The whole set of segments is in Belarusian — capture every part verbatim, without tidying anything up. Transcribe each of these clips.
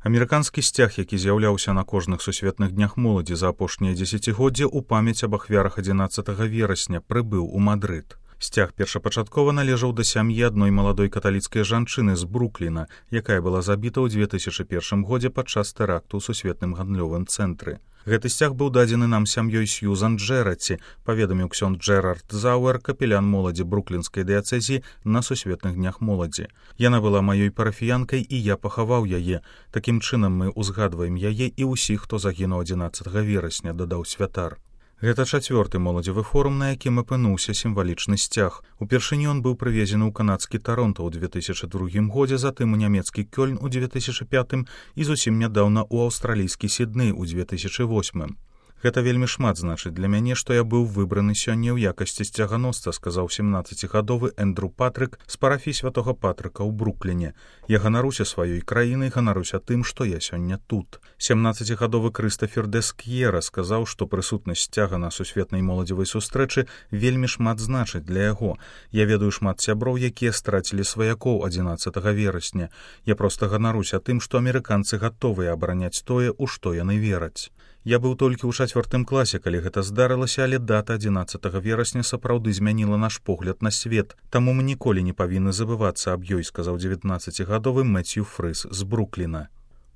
Амерыканскі сцяг, які з'яўляўся на кожных сусветных днях моладзі за апошнія дзесяцігоддзі ў памяць аб ахвярах адзінаццатага верасня прыбыў у Мадрыд. Сцяг першапачаткова належаў да сям'і адной маладой каталіцкай жанчыны з Брукліна, якая была забіта ў дзве тысячы першым годзе падчас тэракту ў сусветным гандлёвым цэнтры. Гэты сцяг быў дадзены нам сям'ёй Сьюзан Джэраці, паведаміў ксёнд Джэрард Зауэр, капелян моладзі бруклінскай дыяцэзіі на сусветных днях моладзі. Яна была маёй парафіянкай, і я пахаваў яе. Такім чынам мы ўзгадваем яе і ўсіх, хто загінуў адзінаццатага верасня, дадаў святар. Гэта чацвёрты моладзевы форум, на якім апынуўся сімвалічны сцяг. Упершыню ён быў прывезены ў канадскі Таронта ў дзве тысячы другім годзе, затым у нямецкі Кёльн у дзве тысячы пятым і зусім нядаўна ў аўстралійскі Сідней у дзве тысячы восьмым. Гэта вельмі шмат значыць для мяне, што я быў выбраны сёння ў якасці сцяганосца, сказаў семнаццацігадовы Эндру Патрык з парафіі святога Патрыка ў Брукліне. Я ганаруся сваёй краінай, ганаруся тым, што я сёння тут. семнаццацігадовы Крыстафер Дэск'ера сказаў, што прысутнасць сцяга на сусветнай моладзевай сустрэчы вельмі шмат значыць для яго. Я ведаю шмат сяброў, якія страцілі сваякоў адзінаццатага верасня. Я проста ганаруся тым, што амерыканцы гатовыя абараняць тое, у што яны вераць. Я быў толькі ў чацвёртым класе, калі гэта здарылася, але дата адзінаццатага верасня сапраўды змяніла наш погляд на свет. Таму мы ніколі не павінны забывацца аб ёй, сказаў дзевятнаццацігадовы Мэцью Фрыс з Брукліна.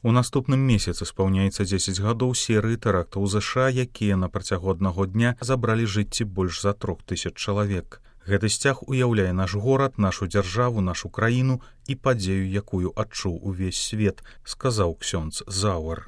У наступным месяцы спаўняецца дзесяць гадоў серыі тэрактаў ЗША, якія на працягу аднаго дня забралі жыцці больш за трох тысяч чалавек. Гэты сцяг уяўляе наш горад, нашу дзяржаву, нашу краіну і падзею, якую адчуў увесь свет, сказаў ксёндз Зауэр.